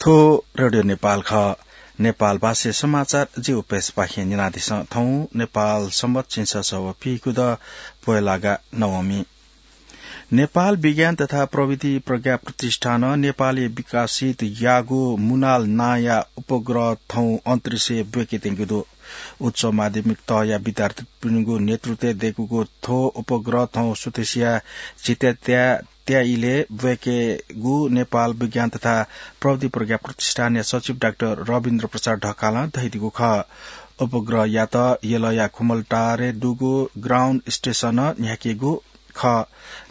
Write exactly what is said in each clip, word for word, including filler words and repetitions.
थ्व रेडियो नेपाल खः। नेपाल भाषाय् समाचार जि उपेशपाखें न्यनादिसँ। थौं नेपाल संवत् झिंछसः व पीगू द पोहेलागा नवमी। नेपाल विज्ञान तथा प्रविधि प्रज्ञा प्रतिष्ठानं नेपालय् विकसित याःगु मुनाल नांया उपग्रह थौं अन्तरिक्षय् ब्वय्केत्यंगु दु। उच्च माध्यमिक तहया विद्यार्थीपिनिगु नेतृत्वय् दय्कूगु थ्व उपग्रह थौं स्वदेशीया झित्यात्या त्या इलय् ब्वय्केगु नेपाल विज्ञान तथा प्रविधि प्रज्ञा प्रतिष्ठानया सचिव डाक्टर रविन्द्र प्रसाद ढकालं धयादीगु खः। उपग्रहयात यलया खुमलटारय् दुगु ground station-ं न्ह्याकेगु खः।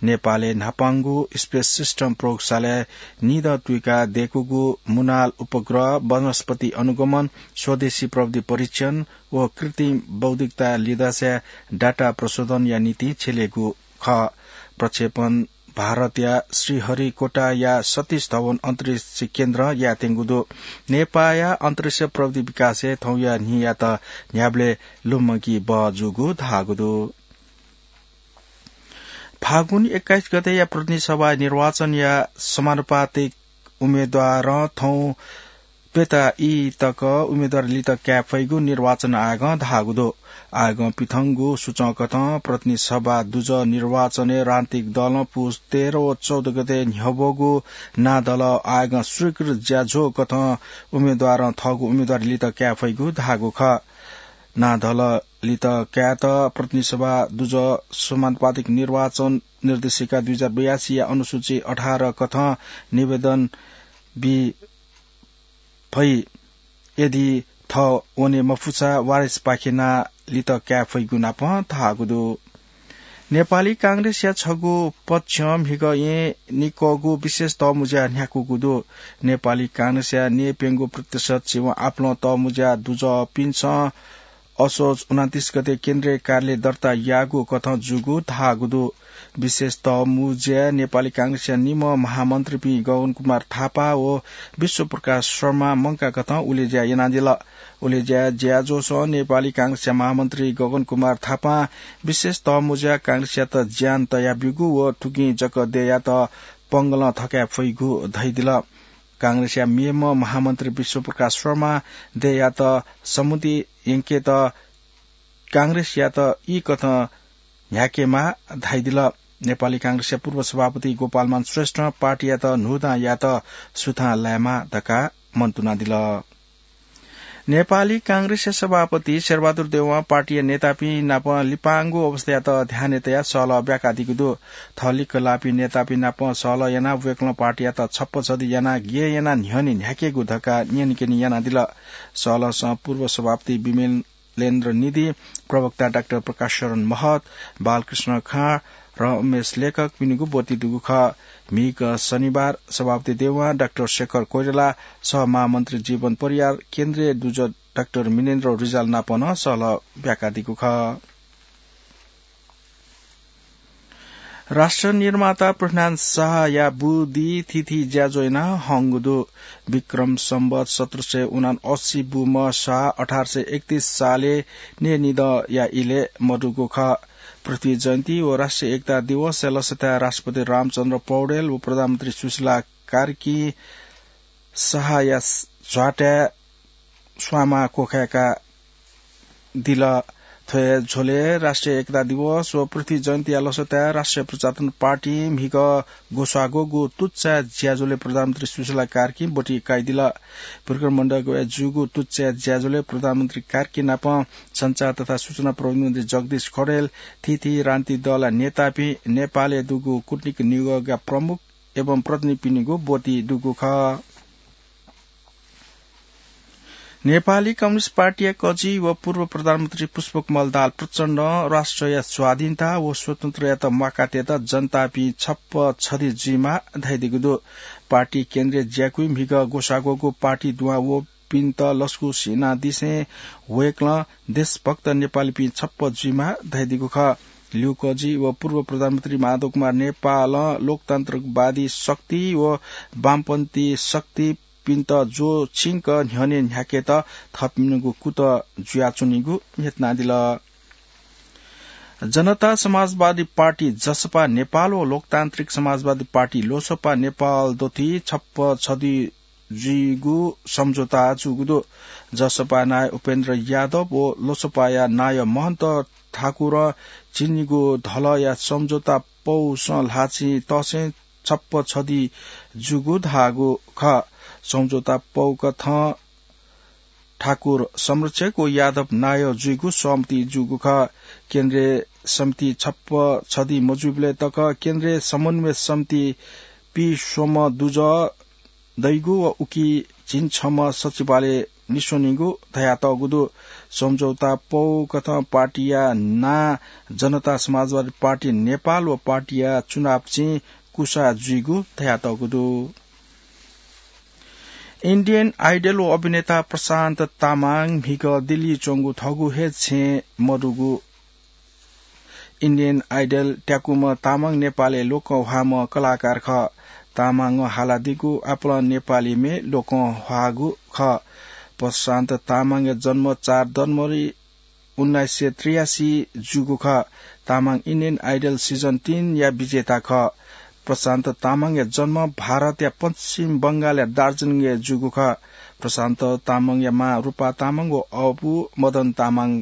नेपालय् न्हापांगु Space System प्रयोगशालाय् निदँ तुइका दय्कूगु मुनाल उपग्रह वनस्पति अनुगमन, स्वदेशी प्रविधि परीक्षण व कृत्रिम बौद्धिकता लिधंसाय् data प्रशोधनया निंतिं छ्यलेगु खः। प्रक्षेपण भारतया श्रीहरिकोटाया सतीश धवन अन्तरिक्ष केन्द्रं यायेत्यंगु दु। नेपाःया अन्तरिक्ष प्रविधि विकासय् थौंया न्हियात न्ह्याबलें लुमंकी बहःजूगु धाःगु दु। फागुन एक्काइस गतेया प्रतिनिधि सभा निर्वाचनया समानुपातिक उम्मेद्वारं थौं प्यता ई तक उम्मेद्वारी लित काये फइगु निर्वाचन आयोगं धाःगु दु। आयोगं पिथंगु सूचंकथं प्रतिनिधि सभा दुजः निर्वाचनय् राजनीतिक दलं पुस तेह्र व चौध गते न्ह्यब्वःगु नांधल आयोगं स्वीकृत ज्याझ्वःकथं उम्मेद्वारं थःगु उम्मेद्वारी लित काये फइगु धाःगु खः। नांधल लित कायेत प्रतिनिधि सभा दुजः समानुपातिक निर्वाचन निर्देशिका दुई हजार बयासीया अनुसूची अठार कथं निवेदन बी फइ। यदि थः वने मफुसा वारिसपाखे नां लित काये फइगु नापं धाःगु दु। नेपाली कांग्रेसया छगू पक्षं म्हिगः येँ निक्वःगु विशेष तःमुँज्या न्ह्याकूगु दु। नेपाली कांग्रेसया न्यय्प्यंगू प्रतिशत छिवं आपालं तःमुँज्या दुजःपिन्सं असोज उनन्तीस गते केन्द्रीय कार्यालय दर्ता याःगु कथं जूगु धाःगु दु। विशेष तःमुँज्याय् नेपाली कांग्रेसया निम्ह महामन्त्रीपिं गगन कुमार थापा व विश्वप्रकाश शर्मा मंकाकथं उलेज्या यानादिल। उलेज्या ज्याझ्वलय् नेपाली कांग्रेसया महामन्त्री गगन कुमार थापां विशेष तःमुँज्यां कांग्रेसयात ज्यान तयाब्यूगु व थुकिं जक देय्‌यात पंगलं थकाये फइगु धयादिल। कांग्रेसया मेम्ह महामन्त्री विश्वप्रकाश शर्मां देय्‌यात समुद्री यंकेत कांग्रेसयात ई कथं न्ह्याकेमाः धयादिल। नेपाली कांग्रेसया पूर्व सभापति गोपालमान श्रेष्ठं पार्टीयात न्हूदँ यायेत सुथां लायेमाः धकाः मन्तुनादिल। नेपाली कांग्रेसया सभापति शेरबहादुर देउवां पार्टीया नेतापिं नाप लिपांगु अवस्थायात ध्यानय् तयाः सहलह ब्याकादीगु दु। थःलिक्क लाःपिं नेतापिं नाप सहलह यानाः वय्‌कलं पार्टीयात छप्पा छधी यानाः गय् यानाः न्ह्यःने न्ह्याकेगु धकाः न्यनेकने यानादिल। सहलहसं पूर्व सभापति विमलेन्द्र निधि, प्रवक्ता डाक्टर प्रकाश शरण महत, बालकृष्ण खाँड, रमेश लेखकपिनिगु ब्वति दुगु खः। म्हिगः शनिबार सभापति देउवां डाक्टर शेखर कोइराला, सहमहामन्त्री जीवन परियार, केन्द्रीय दुजः डाक्टर मिनेन्द्र रिजाल नाप नं सहलह ब्याकादीगु खः। राष्ट्र निर्माता पृथ्वीनारायण शाहया बुदिं थीथी ज्याझ्वः याना हंगु दु। विक्रम सम्वत सत्र सय उनासी बुम्ह शाह अठार सय एकतीस सालय् न्यय्‌निदँया इलय् मदुगु खः। पृथ्वी जयन्ती व राष्ट्रिय एकता दिवसया लसताय् राष्ट्रपति रामचन्द्र पौडेल व प्रधानमन्त्री सुशीला कार्कीं शाहया झ्वाताय् स्वांमा क्वखाय्‌का दिल। थ्व हे झ्वलय् राष्ट्रिय एकता दिवस व पृथ्वी जयन्तीया लसताय् राष्ट्रिय प्रजातन्त्र पार्टीं म्हिगः ग्वसाः ग्वःगु तुच्चा ज्याझ्वलय् प्रधानमन्त्री सुशीला कार्कीं ब्वति काइदिल। विक्रम मण्डपय् जूगु तुच्चा ज्याझ्वलय् प्रधानमन्त्री कार्की नाप सञ्चार तथा सूचना प्रविधि मन्त्री जगदीश खड्गीं थीथी राजनीतिक दलया नेतापिं नेपालय् दुगु कूटनीतिक निगःया प्रमुख एवं प्रतिनिधिपिनिगु ब्वति दुगु खः। नेपाली कम्युनिस्ट पार्टीया कजि व पूर्व प्रधानमन्त्री पुष्पकमल दाहाल प्रचण्डं राष्ट्रया स्वाधीनता व स्वतन्त्रयात म्वाकातयेत जनतापिं छप्पा छधी जुइमाः धयादीगु दु। पार्टी केन्द्रीय ज्याकुथिं म्हिगः ग्वसाः ग्वःगु पार्टी दुहां वःपिन्त लसकुस यानादिसें वय्‌कलं देशभक्त नेपालीपिं छप्पा जुइमाः धयादीगु खः। ल्यू कजि व पूर्व प्रधानमन्त्री माधव कुमार नेपालं लोकतान्त्रिकवादी शक्ति व वामपन्थी शक्ति पिन्त ज्वःछिंक न्ह्यःने न्ह्याकेत थःपिनिगु कुतः जुयाच्वनीगु न्ह्यथनादिल। जनता समाजवादी पार्टी, जसपा नेपाल व लोकतान्त्रिक समाजवादी पार्टी, लोसपा नेपाल दथुइ छप्पा छधी जुइगु सम्झौता जूगु दु। जसपा नायः उपेन्द्र यादव व लोसपाया नायः महन्त ठाकुरं झिंनिगू धलया सम्झौता पौसं ल्हाःचिं तःसें छप्प छदी जूगु धाःगु खः। सम्झौता पौकथं ठाकुर संरक्षक व यादव नायः जुइगु सहमति जूगु खः। केन्द्रीय समिति छप्प छदी मजुइबलय् तक केन्द्रीय समन्वय समिति पीस्वम्ह दुजः दइगु व उकी झिंछम्ह सचिवालय निस्वनीगु धयातःगु दु। सम्झौता पौकथं पार्टीया नां जनता समाजवादी पार्टी नेपाल व पार्टीया चुनाव चिं कुसा जुइगु धयातःगु दु। Indian Idol व अभिनेता प्रशान्त तामाङ म्हिगः दिल्ली च्वंगु थःगु हे छेँ मदुगु। Indian Idol त्याकूम्ह तामाङ नेपालय् लोकंह्वाःम्ह कलाकार खः। तामाङं हालादीगु आपालं नेपाली म्ये लोकंह्वाःगु खः। प्रशान्त तामाङया जन्म चार जनवरी उन्नाइस सय त्रियासी जूगु खः। तामाङ Indian Idol season तीन या विजेता खः। प्रशान्त तामाङया जन्म भारतया पश्चिम बंगालया दार्जिलिङय् जूगु खः। प्रशान्त तामाङया मां रूपा तामाङ व अबु मदन तामाङ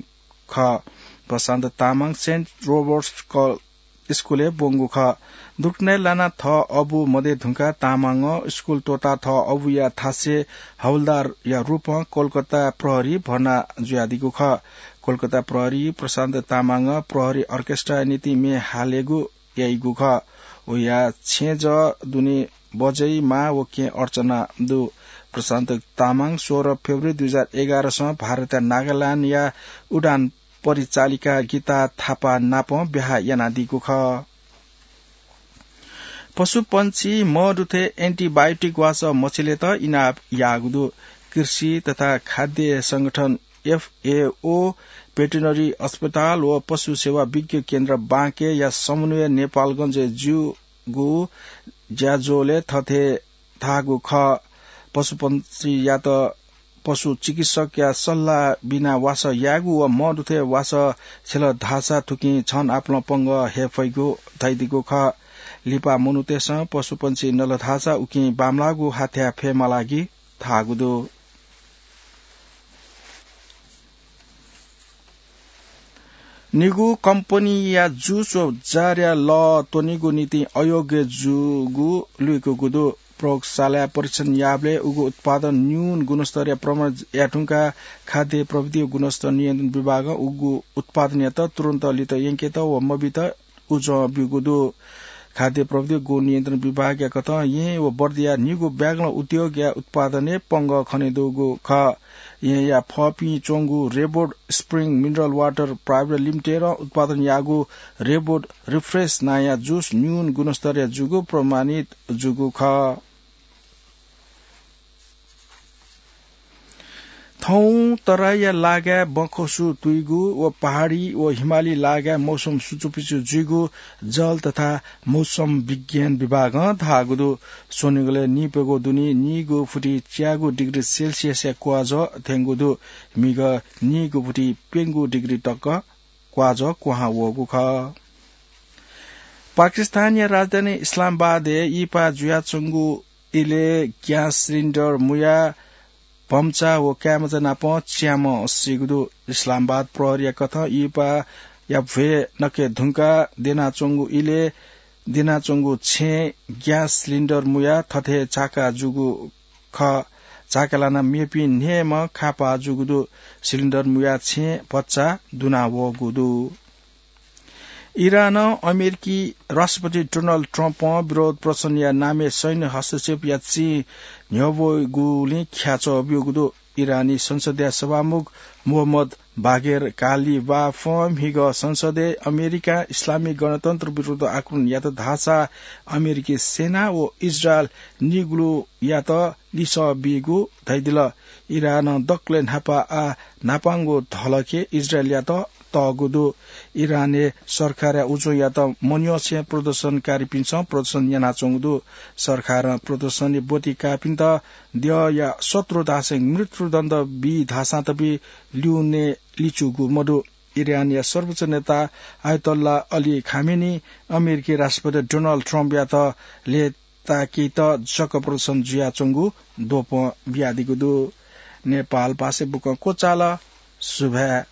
खः। प्रशान्त तामाङ सेन्ट रोबर्ट्स कल स्कुलय् ब्वंगु खः। दुकनय् लानाः थः अबु मदये धुंकाः तामाङं स्कुल त्वःताः थः अबुया थासय् हवलदारया रूपं कोलकाता प्रहरी भर्ना जुयादीगु खः। कोलकाता प्रहरी प्रशान्त तामाङं प्रहरी अर्केस्ट्राया निंतिं म्ये हालेगु याइगु खः। वया छेँजः दुने बजै मां व केहेँ अर्चना दु। प्रशान्त तामाङ सोह्र फेब्रुअरी दुई हजार एघारसं भारतया नागाल्यान्डया उडान परिचालिका गीता थापा नाप ब्याहा यानादीगु खः। पशुपंक्षी मदुथें antibiotic वासः मछिलेत इनाप याःगु दु। कृषि तथा खाद्य संगठन FAO, भेटेरिनरी अस्पताल व पशु सेवा विज्ञ केन्द्र बाँकेया समन्वयय् नेपालगञ्जय् जूगु ज्याझ्वलय् थथे धाःगु खः। पशुपंक्षीयात पशु चिकित्सकया सल्लाह बिना वासः यायेगु व मदुथें वासः छ्यल धाःसा थुकिं झन आपालं पंगः हये फइगु धयादीगु खः। लिपा मनूतय्सं पशुपंक्षी नल धाःसा उकिं बांमलाःगु हाथ्या फयेमालागि धाःगु दु। निगू कम्पनीया जुस व जारया लः त्वनेगु निंतिं अयोग्य जूगु लुइकूगु दु। प्रयोगशालाय् परीक्षण याःबलय् उगु उत्पादन न्यून गुणस्तरया प्रमाणित याये धुंकाः खाद्य प्रविधि व गुणस्तर नियन्त्रण विभागं उगु उत्पादनयात तुरुन्त लित यंकेत व मबीत उजं ब्यूगु दु। खाद्य प्रविधि गुण नियन्त्रण विभागया कथं येँ व बर्दिया निगू ब्यागलं उद्योगया उत्पादनय् पंगः खनेदुगु खः। येँया फःपिं च्वंगु रेबोड स्प्रिङ मिनरल वाटर प्राइभेट लिमिटेडं उत्पादन याःगु रेबोड रिफ्रेश नांया जुस न्यून गुणस्तरया जूगु प्रमाणित जूगु खः। थौं तराईया लागाय् बँखसु तुइगु व पहाडी व हिमाली लागाय् मौसम सुचुपिचु जुइगु जल तथा मौसम विज्ञान विभागं धाःगु दु। स्वनिगलय् निइप्यघौ दुने नीगू फुति च्यागू डिग्री सेल्सियसया क्वाजः थ्यंगु दु। म्हिगः नीगू फुति प्यंगू डिग्री तक क्वाजः क्वहां वःगु खः। पाकिस्तानया राजधानी इस्लामाबादय् इहिपा जुयाच्वंगु इलय् ग्यास सिलिन्डर मुयाः भम्चा व काय्‌मचा नाप च्याम्ह सीगु दु। इस्लामाबाद प्रहरीया कथं इहिपाया भ्वय् नके धुंकाः द्यनाच्वंगु इलय् द्यनाच्वंगु छेँय् ग्यास सिलिन्डर मुयाः थथे झाका जूगु खः। झाका लानाः मेपिं न्हय्‌म्ह खापाः जूगु दु। सिलिन्डर मुयाः छेँय् भचा दुना वःगु दु। इरानं अमेरिकी राष्ट्रपति डोनाल्ड ट्रम्पं विरोध प्रदर्शनया नामय् सैन्य हस्तक्षेपया चिं न्ह्यब्वःगुलिं ख्याच्वः ब्यूगु दु। इरानी संसदया सभामुख मोहम्मद बागेर कालिबाफं म्हिगः संसदय् अमेरिकां इस्लामी गणतन्त्र विरुद्ध आक्रमण यात धाःसा अमेरिकी सेना व इजरायल निगलुयात लिसः बीगु धयादिल। इरानं दकलय् न्हापा आः न्हापांगु धलखय् इजरायलयात तःगु दु। इरानय् सरकारया उजोयात मन्यंसें प्रदर्शनकारीपिन्सं प्रदर्शन यानाच्वंगु दु। सरकारं प्रदर्शनय् ब्वति काःपिन्त द्यःया शत्रु धासें मृत्युदण्ड बी धाःसां तबि ल्यूने लिचूगु मदु। इरानया सर्वोच्च नेता आयतोल्ला अली खामेनी अमेरिकी राष्ट्रपति डोनाल्ड ट्रम्पयात ले ताकेत जक प्रदर्शन जुयाच्वंगु द्वपं बियादीगु दु। नेपाल भाषा बुकं क्वचाल। सुभाय्।